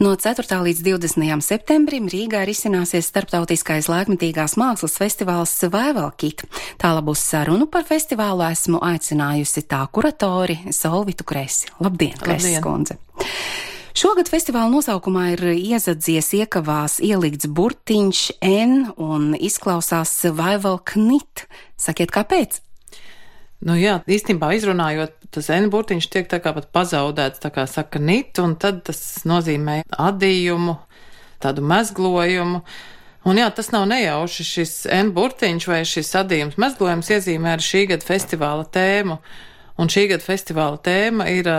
No 4. līdz 20. septembrim Rīgā risināsies starptautiskais laikmetīgās mākslas festivāls Vaivalkit. Tālabūs sarunu par festivālu esmu aicinājusi tā kuratori Solvitu Kresi. Labdien, Kreses kundze! Šogad festivāla nosaukumā ir iezadzies iekavās ielikts burtiņš N un izklausās Vaivalknit. Sakiet, kāpēc? Nu jā, īstenībā izrunājot, tas N burtiņš tiek tā kā pat pazaudēts, tā kā saka nit, un tad tas nozīmē adījumu, tādu mezglojumu. Un jā, tas nav nejauši, šis N burtiņš vai šis adījums mezglojums iezīmē ar šī gada festivāla tēmu. Un šī gada festivāla tēma ir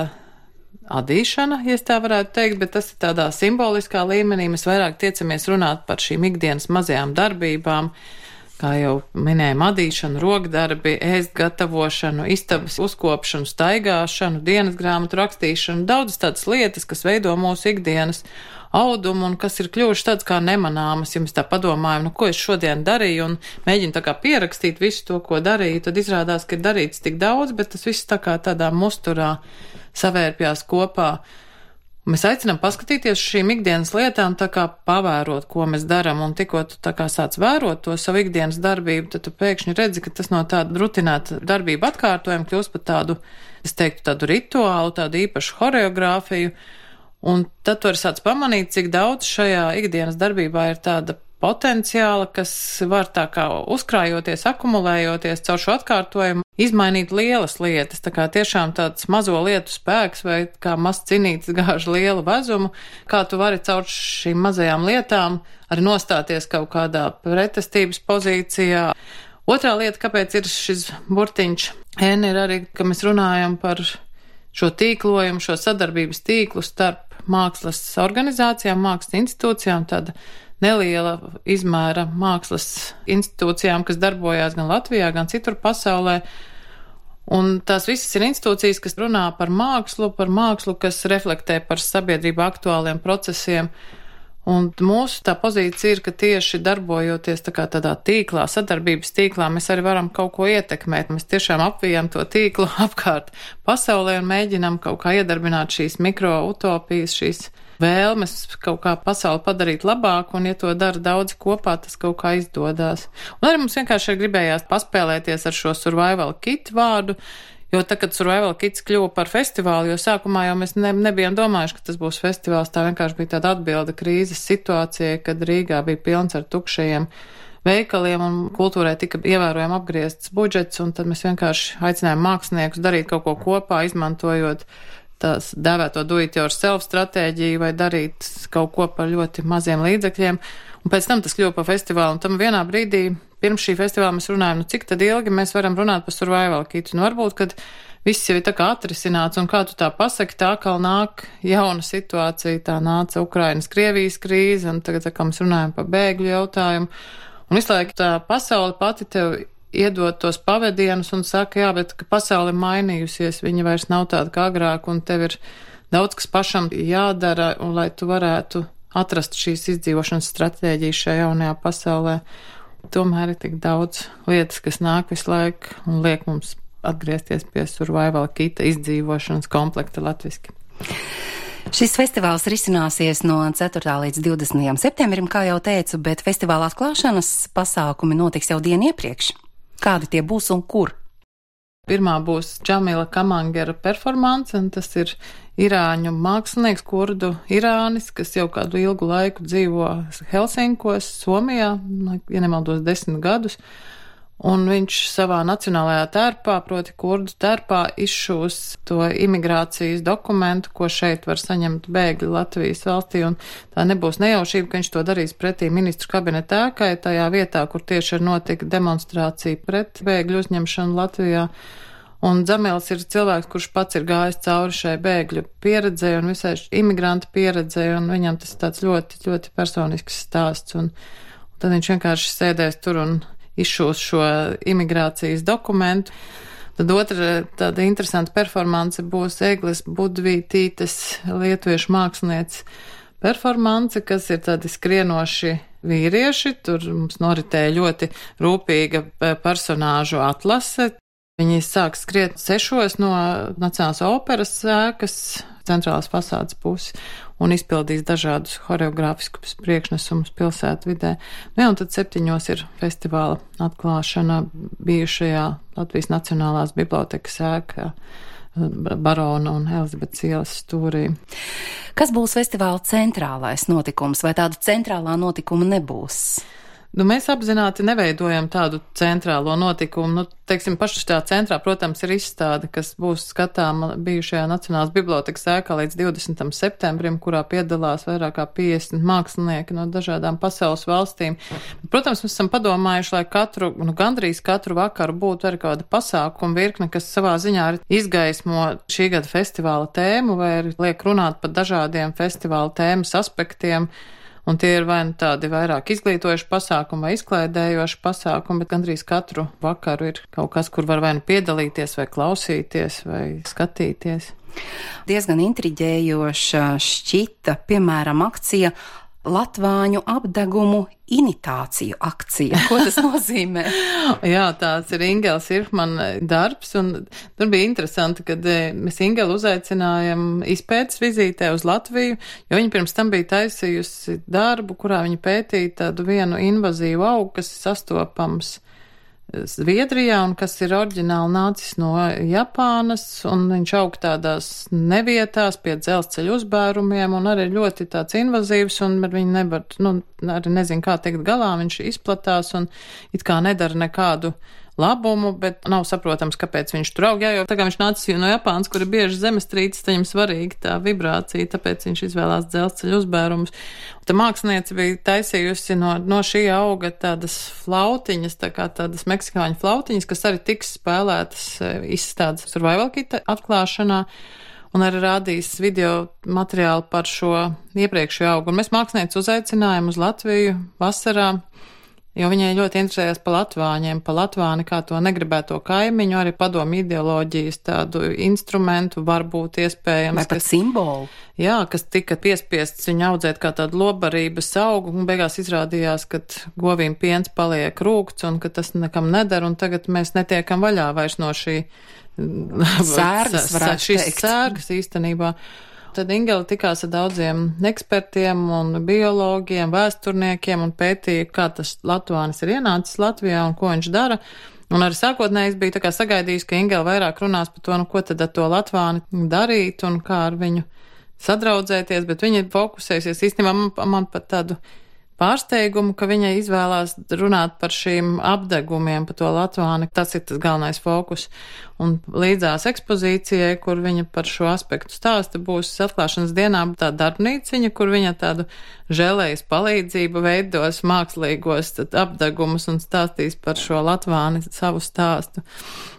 adīšana, ja tā varētu teikt, bet tas ir tādā simboliskā līmenī. Mēs vairāk tiecamies runāt par šīm ikdienas mazajām darbībām, kā jau minējām, adīšanu, rokdarbi, ēst gatavošanu, istabas uzkopšanu, staigāšanu, dienas grāmatu rakstīšanu, daudzas tādas lietas, kas veido mūsu ikdienas audumu un kas ir kļuvuši tāds kā nemanāmas. Ja mēs tā padomājam, ko es šodien darīju un mēģinu tā kā pierakstīt visu to, ko darīju, tad izrādās, ka ir darīts tik daudz, bet tas viss tā kā tādā musturā savērpjās kopā. Mēs aicinām paskatīties šīm ikdienas lietām, tā kā pavērot, ko mēs daram, un tikko tu tā kā sāc vērot to savu ikdienas darbību, tad tu pēkšņi redzi, ka tas no tāda rutinēta darbība atkārtojuma kļūst par tādu, es teiktu, tādu rituālu, tādu īpašu horeogrāfiju, un tad tu arī sāc pamanīt, cik daudz šajā ikdienas darbībā ir tāda potenciāla, kas var tā kā uzkrājoties, akumulējoties caur šo atkārtojumu, izmainīt lielas lietas, tā kā tiešām tāds mazo lietu spēks vai kā mazs cinītis gāž lielu vezumu, kā tu vari caur šīm mazajām lietām arī nostāties kaut kādā pretestības pozīcijā. Otrā lieta, kāpēc ir šis burtiņš N, ir arī, ka mēs runājam par šo tīklojumu, šo sadarbības tīklu starp mākslas organizācijām, mākslas institūcijām, tāda neliela izmēra mākslas institūcijām, kas darbojās gan Latvijā, gan citur pasaulē. Un tās visas ir institūcijas, kas runā par mākslu, kas reflektē par sabiedrību aktuāliem procesiem. Un mūsu tā pozīcija ir, ka tieši darbojoties tā kā tādā tīklā, sadarbības tīklā, mēs arī varam kaut ko ietekmēt. Mēs tiešām apvijam to tīklu apkārt pasaulē un mēģinam kaut kā iedarbināt šīs mikroutopijas, šīs vēlmes kaut kā pasauli padarīt labāku, un ja to dara daudzi kopā, tas kaut kā izdodās. Un arī mums vienkārši gribējās paspēlēties ar šo survival kit vārdu, jo tad, kad survival kits kļuva par festivālu, jo sākumā jau mēs nebijām domājuši, ka tas būs festivāls, tā vienkārši bija tāda atbilde krīzes situācijai, kad Rīgā bija pilns ar tukšajiem veikaliem un kultūrai tika ievērojami apgriezts budžets, un tad mēs vienkārši aicinājām māksliniekus darīt kaut ko kopā, izmantojot tās dēvēto do-it-yourself stratēģiju vai darīt kaut ko par ļoti maziem līdzekļiem. Un pēc tam tas kļuva par festivālu. Un tam vienā brīdī, pirms šī festivāla, mēs runājam, cik tad ilgi mēs varam runāt par survival kitu. Varbūt, kad viss jau ir tā kā atrisināts, un kā tu tā pasaki, tā kā nāk jauna situācija, tā nāca Ukrainas, Krievijas krīze, un tagad, kā mēs runājam par bēgļu jautājumu. Un visu laiku tā pasaule pati tev iedot tos pavadienus un saka, jā, bet ka pasaule mainījusies, viņa vairs nav tāda kā agrāk, un tev ir daudz, kas pašam jādara, un lai tu varētu atrast šīs izdzīvošanas stratēģijas šajā jaunajā pasaulē. Tomēr ir tik daudz lietas, kas nāk visu laiku un liek mums atgriezties pie survival kita izdzīvošanas komplekta latviski. Šis festivāls risināsies no 4. līdz 20. septembrim, kā jau teicu, bet festivāla atklāšanas pasākumi notiks jau dienu iepriekš. Kādi tie būs un kur? Pirmā būs Džamila Kamangera performance, un tas ir irāņu mākslinieks, kurdu Irānis, kas jau kādu ilgu laiku dzīvo Helsinkos, Somijā, ja nemaldos 10 gadus. Un viņš savā nacionālajā tērpā, proti kurdu tērpā, izšūs to imigrācijas dokumentu, ko šeit var saņemt bēgļi Latvijas valstī, un tā nebūs nejaušība, ka viņš to darīs pretī ministru kabineta ēkai, tajā vietā, kur tieši ir notika demonstrācija pret bēgļu uzņemšanu Latvijā. Un Dzamils ir cilvēks, kurš pats ir gājis cauri šai bēgļu pieredzei un visai imigrantu pieredzei, un viņam tas ir tāds ļoti, ļoti personisks stāsts, un tad viņš vienkārši sēdēs tur un izšūs šo imigrācijas dokumentu. Tad otra tāda interesanta performance būs Egles Budvītītes, lietuviešu mākslinieces performance, kas ir tādi skrienoši vīrieši. Tur mums noritēja ļoti rūpīga personāžu atlase. Viņi sāk skriet 6 no Nacionālās operas ēkas centrālās fasādes puses. un izpildīs dažādus horeogrāfiskus priekšnesumus pilsētvidē. Nu, un tad 7 ir festivāla atklāšana bijušajā Latvijas Nacionālās bibliotekas ēkā Barona un Elizabetes ielas stūrī. Kas būs festivāla centrālais notikums, vai tāda centrālā notikuma nebūs? Nu, mēs apzināti neveidojam tādu centrālo notikumu. Nu, teiksim, paši tā centrā, protams, ir izstāde, kas būs skatāma bijušajā Nacionālās bibliotekas ēkā līdz 20. septembrim, kurā piedalās vairāk kā 50 mākslinieki no dažādām pasaules valstīm. Protams, mēs esam padomājuši, lai gandrīz katru vakaru būtu arī kāda pasākuma virkne, kas savā ziņā izgaismo šī gada festivāla tēmu vai arī liek runāt par dažādiem festivāla tēmas aspektiem. Un tie ir vai nu tādi vairāk izglītojuši pasākumi vai izklaidējoši pasākumi, bet gandrīz katru vakaru ir kaut kas, kur var vai nu piedalīties, vai klausīties, vai skatīties. Diezgan intriģējoša šķita, piemēram, akcija Latvāņu apdegumu imitāciju akcija. Ko tas nozīmē? Jā, tāds ir Ingela Sirfmana darbs, un tur bija interesanti, kad mēs Ingelu uzaicinājam izpētes vizītē uz Latviju, jo viņa pirms tam bija taisījusi darbu, kurā viņa pētīja tādu vienu invazīvu augu, kas ir sastopams Zviedrijā un kas ir oriģināli nācis no Japānas, un viņš aug tādās nevietās pie dzelzceļa uzbērumiem un arī ļoti tāds invazīvs, un viņi nevar, arī nezinu, kā tikt galā, viņš izplatās un it kā nedara nekādu labumu, bet nav saprotams, kāpēc viņš tur aug. Jā, jo tā kā viņš nācis no Japānas, kur ir bieži zemestrīces, tad viņam svarīga tā vibrācija, tāpēc viņš izvēlās dzelzceļa uzbērumus. Tā mākslinieca bija taisījusi no šī auga tādas flautiņas, tā kā tādas meksikāņu flautiņas, kas arī tiks spēlētas izstādes Survival Kit atklāšanā. Un arī rādīs video materiālu par šo iepriekšējo augu. Un mēs mākslinieci uzaicinājām uz Latviju vasarā, jo viņai ļoti interesējās par latvāņiem, par latvāni kā to negribēto kaimiņu, arī padomu ideoloģijas tādu instrumentu, varbūt iespējams. Vai pat simbolu? Jā, kas tika piespiests viņu audzēt kā tādu lobarības augu, un beigās izrādījās, ka govīm piens paliek rūgts un ka tas nekam neder, un tagad mēs netiekam vaļā vairs no šī sērgas, varētu teikt. Sērgas īstenībā. Tad Ingela tikās ar daudziem ekspertiem un biologiem, vēsturniekiem un pētīja, kā tas latvānis ir ienācis Latvijā un ko viņš dara. Un arī sākotnēji es biju tā kā sagaidījis, ka Ingela vairāk runās par to, ko tad ar to latvāni darīt un kā ar viņu sadraudzēties, bet viņa fokusēsies īstenībā man pat tādu pārsteigumu, ka viņa izvēlās runāt par šīm apdegumiem, par to latvāni. Tas ir tas galvenais fokus. Un līdzās ekspozīcijai, kur viņa par šo aspektu stāsta, būs atklāšanas dienā tā darbnīciņa, kur viņa tādu žēlējas palīdzību veidos mākslīgos apdegumus un stāstīs par šo latvāni savu stāstu.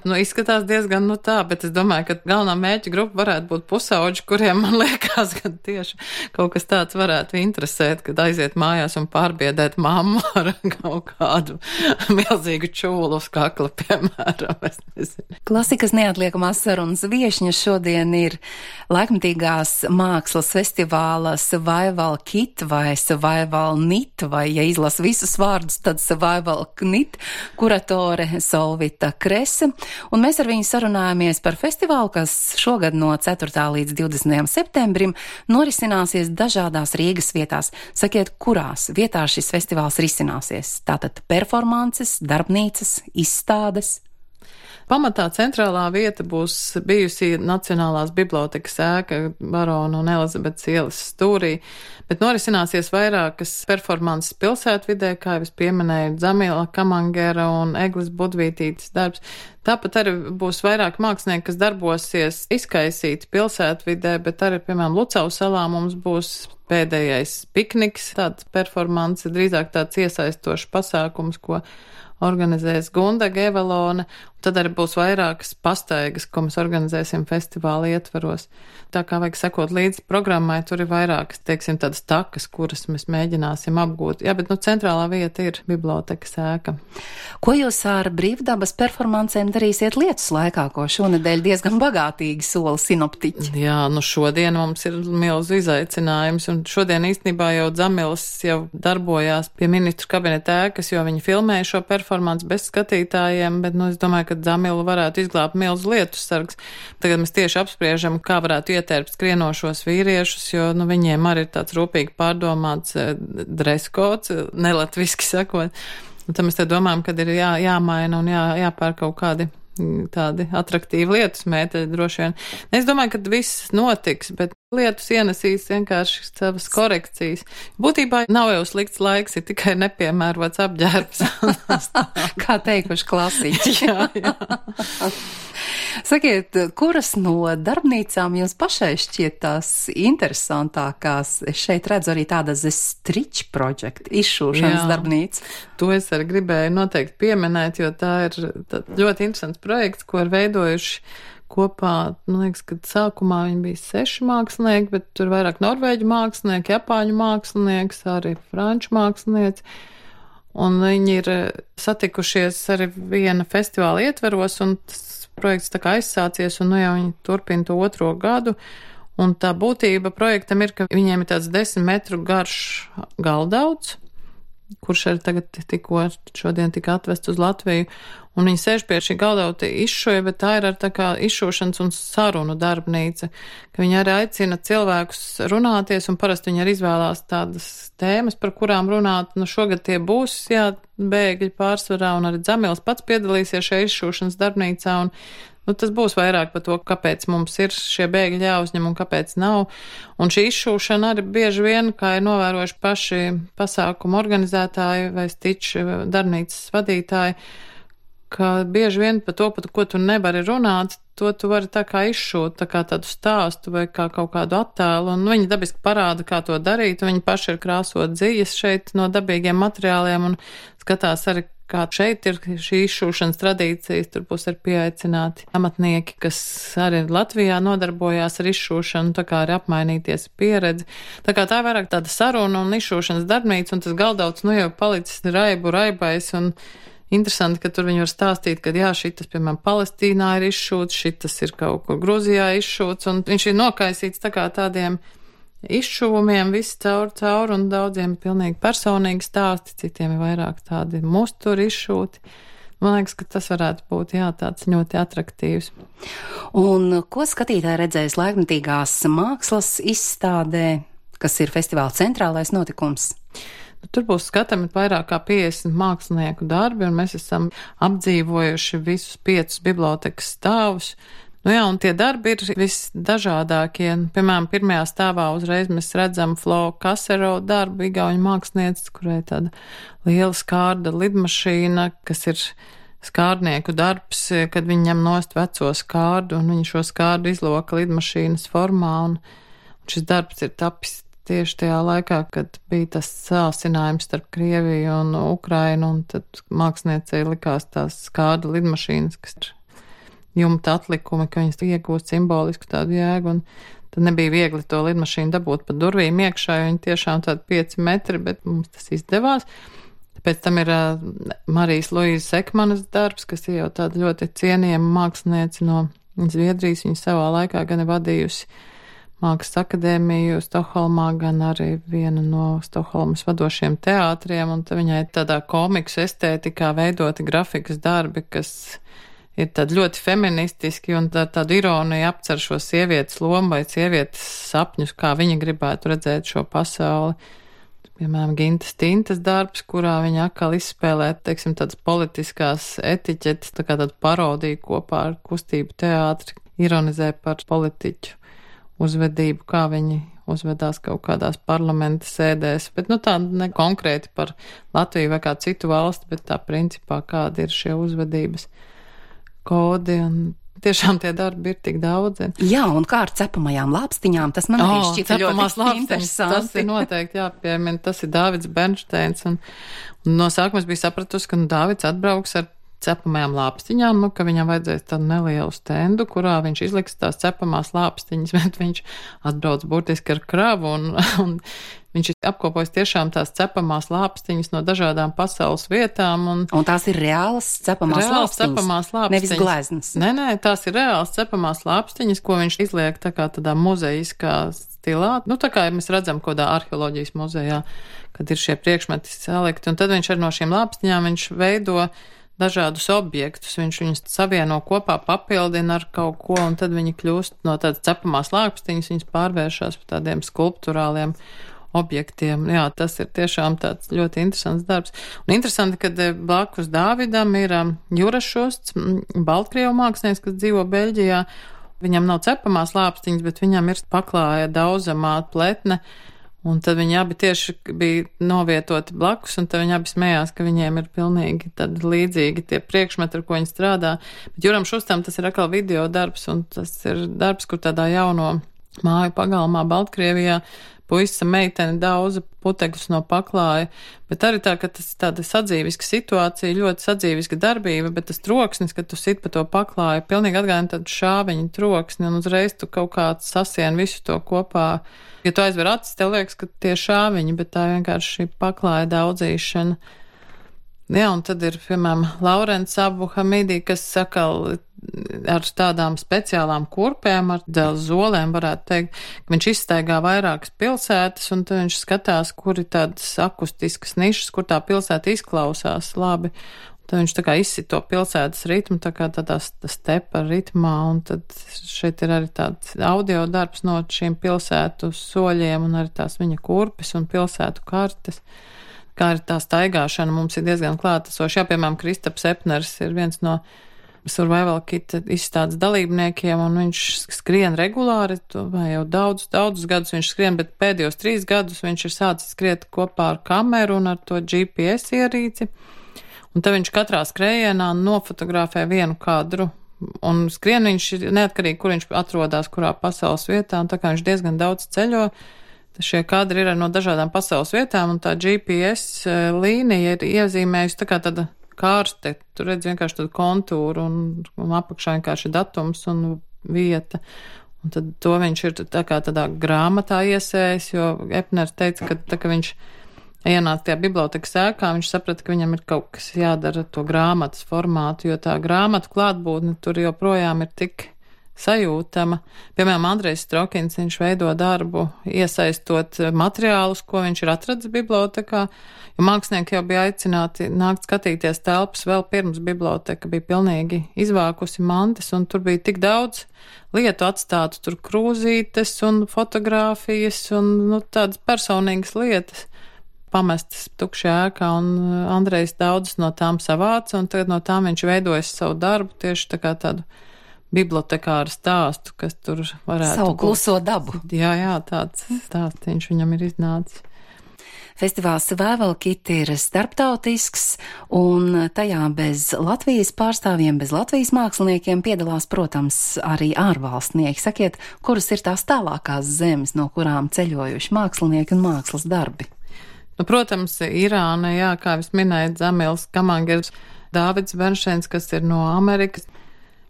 Izskatās diezgan tā, bet es domāju, ka galvenā mērķa grupa varētu būt pusauģi, kuriem, man liekas, ka tieši kaut kas tāds varētu interesēt, kad aiziet mājās un pārbiedēt mammu ar kaut kādu milzīgu čūlu uz kakla, piemēram. Es nezinu. Klasikas neatliekamās sarunas viešņa šodien ir laikmetīgās mākslas festivāla Survival Kit vai Survival Knit, vai, ja izlasu visus vārdus, tad Survival Knit kuratore Solvita Krese. Un mēs ar viņu sarunājāmies par festivālu, kas šogad no 4. līdz 20. septembrim norisināsies dažādās Rīgas vietās. Sakiet, kurās vietās šis festivāls risināsies? Tātad performances, darbnīcas, izstādes? Pamatā centrālā vieta būs bijusi Nacionālās bibliotekas ēka Barona un Elizabetes ielas stūrī, bet norisināsies vairākas performances pilsētvidē, kā jau es pieminēju, Dzamila Kamangera un Eglis Budvītītes darbs. Tāpat arī būs vairāk mākslinieki, kas darbosies izkaisīt pilsētvidē, bet arī, piemēram, Lucau salā mums būs pēdējais pikniks, tāds performance, drīzāk tāds iesaistošs pasākums, ko organizēs Gunda Gevelone, un tad arī būs vairākas pastaigas, ko mēs organizēsim festivāla ietvaros. Tā kā vajag sekot līdz programmai, tur ir vairākas, teiksim, tādas takas, kuras mēs mēģināsim apgūt. Jā, bet centrālā vieta ir bibliotekas ēka. Ko jūs ar brīvdabas performancēm darīsiet lietus laikā, ko šonedēļ diezgan bagātīgi sola sinoptiķi? Jā, šodien mums ir milzu izaicinājums, un šodien īstenībā jau Dzamilas jau darbojās pie ministru kabineta ēkas, jo viņi filmēja šo performanci performance bez skatītājiem, bet, es domāju, ka Dzamilu varētu izglābt milzu lietussargs. Tagad mēs tieši apspriežam, kā varētu ietērpt skrienošos vīriešus, jo, viņiem arī ir tāds rūpīgi pārdomāts dreskods, nelatviski sakot. Un tad mēs te domājam, kad ir jāmaina un jāpēr kaut kādi tādi atraktīvi lietus mēteļi droši vien. Es domāju, ka viss notiks, bet lietus ienesīs vienkārši savas korekcijas. Būtībā nav jau slikts laiks, ir tikai nepiemērots apģērbs. Kā teikuši klasiķi. Jā. Sakiet, kuras no darbnīcām jums pašai šķiet tās interesantākās? Es šeit redzu arī tāda The Stitch Project, izšūšanas darbnīca. To es arī gribēju noteikti pieminēt, jo tā ir ļoti interesants projekts, ko ir veidojuši kopā, man liekas, kad sākumā viņi bija 6 mākslinieki, bet tur vairāk norvēģu mākslinieki, japāņu mākslinieks, arī franču mākslinieci. Un viņi ir satikušies arī viena festivāla ietveros, un tas projekts tā kā aizsācies, un jau viņi turpina to 2. gadu. Un tā būtība projektam ir, ka viņiem ir tāds 10 metru garš galdauts, kurš arī tagad tikko šodien tika atvests uz Latviju. Un viņi sēž pie šī galdauta izšoja, bet tā ir ar tā kā izšošanas un sarunu darbnīca, ka viņi arī aicina cilvēkus runāties, un parasti viņi arī izvēlās tādas tēmas, par kurām runāt. Šogad tie būs, bēgļi pārsvarā, un arī Dzamils pats piedalīsies šajā izšošanas darbnīcā, un tas būs vairāk par to, kāpēc mums ir šie bēgļi jāuzņem un kāpēc nav. Un šī izšūšana arī bieži vien, kā ir novērojuši paši pasākumu organizētāji vai Stitch darbnīcas vadītāji, ka bieži vien par to, par ko tu nevari runāt, to tu vari tā kā izšūt, tā kā tādu stāstu vai kā kaut kādu attēlu, un viņi dabiski parāda, kā to darīt, un viņi paši ir krāsot dzīves šeit no dabīgiem materiāliem, un skatās arī, kā šeit ir šī izšūšanas tradīcijas, tur būs arī pieaicināti amatnieki, kas arī Latvijā nodarbojās ar izšūšanu, tā kā arī apmainīties pieredzi. Tā kā tā ir vairāk tāda saruna un izšūšanas darbnīca, un tas galdauts, jau palicis raibais, un interesanti, ka tur viņi var stāstīt, ka šitas, piemēram, Palestīnā ir izšūts, šitas ir kaut kur Gruzijā izšūts, un viņš ir nokaisīts tā kā tādiem izšūvumiem, viss caur, un daudziem ir pilnīgi personīgi stāsti, citiem ir vairāk tādi musturi izšūti. Man liekas, ka tas varētu būt, tāds ļoti atraktīvs. Un ko skatītāji redzēs laikmetīgās mākslas izstādē, kas ir festivāla centrālais notikums? Tur būs skatami vairāk kā 50 mākslinieku darbi, un mēs esam apdzīvojuši visus 5 bibliotekas stāvus. Un tie darbi ir visdažādākie. Piemēram, pirmajā stāvā uzreiz mēs redzam Flo Kasero darbu, igauņu mākslinieces, kurai tāda liela skārda lidmašīna, kas ir skārdnieku darbs, kad viņi ņem nost veco skārdu, un viņi šo skārdu izloka lidmašīnas formā, un šis darbs ir tapis tieši tajā laikā, kad bija tas sāsinājums starp Krieviju un Ukrainu, un tad māksliniecei likās tās skārda lidmašīnas, kas ir jumta atlikumi, ka viņas iegūst simbolisku tādu jēgu, un tad nebija viegli to lidmašīnu dabūt pa durvīm iekšā, jo viņi tiešām tādi 5 metri, bet mums tas izdevās. Pēc tam ir Marijas Luīzes Ekmanas darbs, kas ir jau tāda ļoti cienījama māksliniece no Zviedrijas, viņa savā laikā gan ir vadījusi Mākslas akadēmiju Stokholmā, gan arī viena no Stokholmas vadošiem teātriem, un viņai tādā komiksu estētikā veidoti grafikas darbi, kas ir tādi ļoti feministiski un tādu ironiju apcer šo sievietes lomu vai sievietes sapņus, kā viņa gribētu redzēt šo pasauli. Piemēram, Gintas Tintas darbs, kurā viņa atkal izspēlē, tādas politiskās etiķetes, tā kā tādu parodiju kopā ar kustību teātri, ironizē par politiķu uzvedību, kā viņi uzvedās kaut kādās parlamenta sēdēs, bet tā ne konkrēti par Latviju vai kā citu valsti, bet tā principā kādi ir šie uzvedības kodi, un tiešām tie darbi ir tik daudzi. Jā, un kā ar cepamajām lāpstiņām, tas man arī šķita ļoti interesanti. Tas ir noteikti jāpiemina, tas ir Dāvids Bernšteins, un no sākuma es biju sapratusi, ka Dāvids atbrauks ar cepamajām lāpstiņām, ka viņam vajadzēs tādu nelielu stendu, kurā viņš izliks tās cepamās lāpstiņas, bet viņš atbrauc burtiski ar kravu, un Viņš ir apkopojis tiešām tās cepamās lāpstiņas no dažādām pasaules vietām. Un tās ir reālas cepamās lāpstiņas, nevis gleznas. Nē, tās ir reālas cepamās lāpstiņas, ko viņš izliek tā kā tādā muzejiskā stilā. Tā kā mēs redzam kodā arheoloģijas muzejā, kad ir šie priekšmeti salikti. Un tad viņš ar no šīm lāpstiņām viņš veido dažādus objektus, viņš viņus savieno kopā, papildina ar kaut ko, un tad viņi kļūst no tādas cepamās lāpstiņas, viņas pārvēršas par tādiem skulpturāliem objektiem. Jā, tas ir tiešām tāds ļoti interesants darbs. Un interesanti, ka blakus Dāvidam ir Juras Šusts, Baltkrievu mākslinieks, kas dzīvo Beļģijā. Viņam nav cepamās lāpstiņas, bet viņam ir paklāja daudzamā pletne. Un tad viņi abi tieši bija novietoti blakus, un tad viņi abi smējās, ka viņiem ir pilnīgi tad līdzīgi tie priekšmeti, ar ko viņi strādā. Bet Juram Šustam tas ir atkal video darbs, un tas ir darbs, kur tādā jauno māju pagalmā Baltkrievijā puisa meitene daudza putekļus no paklāja, bet arī tā, ka tas ir tāda sadzīviska situācija, ļoti sadzīviska darbība, bet tas troksnis, kad tu sit pa to paklāju, pilnīgi atgādina tādu šāviņu troksni, un uzreiz tu kaut kā sasien visu to kopā. Ja tu aizver acis, tev liekas, ka tie šāviņi, bet tā vienkārši šī paklāja daudzīšana. Jā, un tad ir, piemēram, Laurents Abu Hamidi, kas sakal ar tādām speciālām kurpēm, ar dzelzs zolēm, varētu teikt, ka viņš izstaigā vairākas pilsētas, un tad viņš skatās, kur ir tādas akustiskas nišas, kur tā pilsēta izklausās labi. Tad viņš tā kā izsit to pilsētas ritmu, tā kā tādā stepa ritmā, un tad šeit ir arī tāds audio darbs no šīm pilsētu soļiem, un arī tās viņa kurpes un pilsētu kartes. Kā ir tā staigāšana, mums ir diezgan klātesoši. Jā, piemēram, Kristaps Epners ir viens no Survival Kit izstādes dalībniekiem, un viņš skrien regulāri, vai jau daudzus gadus viņš skrien, bet pēdējos 3 gadus viņš ir sācis skriet kopā ar kameru un ar to GPS ierīci. Un tad viņš katrā skrējienā nofotografē vienu kadru, un skrien viņš ir neatkarīgi, kur viņš atrodas, kurā pasaules vietā, un tā kā viņš diezgan daudz ceļo, šie kadri ir no dažādām pasaules vietām, un tā GPS līnija ir iezīmējusi tā kā tāda kārste, tu redz vienkārši tādu kontūru, un apakšā vienkārši datums un vieta. Un tad to viņš ir tā kā tādā grāmatā iesējis, jo Epners teica, ka tā kā viņš ienāca tajā bibliotekas ēkā, viņš saprata, ka viņam ir kaut kas jādara ar to grāmatas formātu, jo tā grāmatu klātbūtne tur joprojām ir tik sajūtama. Piemēram, Andrejs Strokins, viņš veido darbu, iesaistot materiālus, ko viņš ir atradis bibliotekā, jo mākslinieki jau bija aicināti nākt skatīties telpas vēl pirms biblioteka bija pilnīgi izvākusi mantas, un tur bija tik daudz lietu atstātu, tur krūzītes un fotogrāfijas un tādas personīgas lietas pamestas tukšajā ēkā, un Andrejs daudzas no tām savāca, un tagad no tām viņš veidojas savu darbu tieši tā kā tādu bibliotekāru stāstu, kas tur varētu savu kluso dabu. Jā, tāds stāstiņš viņam ir iznācis. Festivāls Survival Kit ir starptautisks, un tajā bez Latvijas pārstāvjiem, bez Latvijas māksliniekiem piedalās, protams, arī ārvalstnieki. Sakiet, kuras ir tās tālākās zemes, no kurām ceļojuši mākslinieki un mākslas darbi? Protams, Irāna, jā, kā es minēju, Zamils Kamangers, Dāvids Bernšteins, kas ir no Amerikas.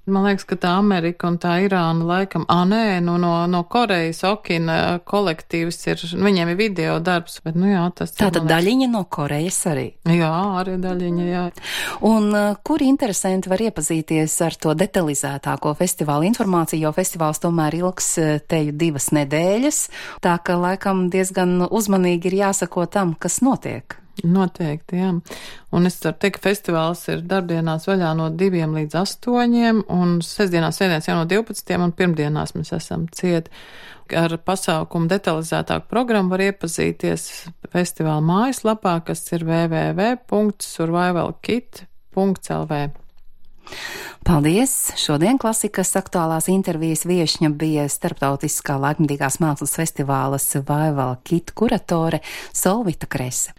Man liekas, ka tā Amerika un tā Irāna laikam, no Korejas Okina kolektīvs ir, viņiem ir video darbs, bet jā, tas ir. Tātad daļiņa no Korejas arī? Jā, arī daļiņa, jā. Un kur interesanti var iepazīties ar to detalizētāko festivāla informāciju, jo festivāls tomēr ilgs teju 2 nedēļas, tā ka laikam diezgan uzmanīgi ir jāsako tam, kas notiek. Noteikti, jā. Un es varu teikt, ka festivāls ir darbdienās vaļā no 2 līdz 8, un sestdienās, svētdienās jau no 12, un pirmdienās mēs esam cieti. Ar pasākumu detalizētāku programmu var iepazīties festivāla mājaslapā, kas ir www.survivalkit.lv. Paldies! Šodien klasikas aktuālās intervijas viešņa bija Starptautiskā laikmatīgās mākslas festivāla Survival Kit kuratore Solvita Krese.